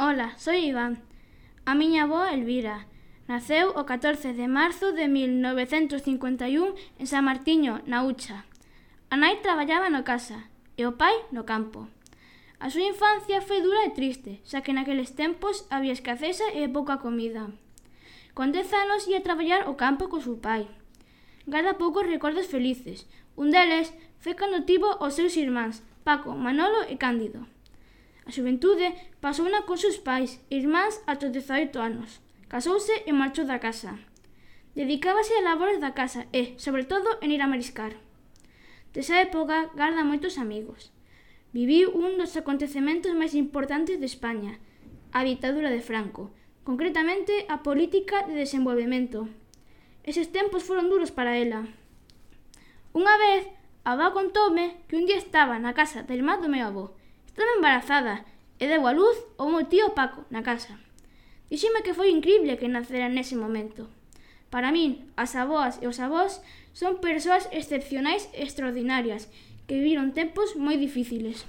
Ola, soy Iván. A miña avó Elvira naceu o 14 de marzo de 1951 en San Martiño, na Ucha. A nai traballaba na casa e o pai no campo. A súa infancia foi dura e triste, xa que naqueles tempos había escaseza e pouca comida. Con 10 anos ia traballar ao campo co seu pai. Garda poucos recordos felices. Un deles foi cando tivo os seus irmáns, Paco, Manolo e Cándido. A xuventude pasouna con seus pais e irmáns ata os 18 anos. Casouse e marchou da casa. Dedicábase a labores da casa e, sobre todo, en ir a mariscar. Desa época garda moitos amigos. Viviu un dos acontecementos máis importantes de España, a ditadura de Franco, concretamente a política de desenvolvemento. Eses tempos foron duros para ela. Unha vez, a avó contoume que un día estaba na casa da irmá do meu avó. Estaba embarazada e deu a luz ao meu tío Paco na casa. Díxeme que foi incrible que nacera nese momento. Para min, as avoas e os avós son persoas excepcionais e extraordinarias que viviron tempos moi difíciles.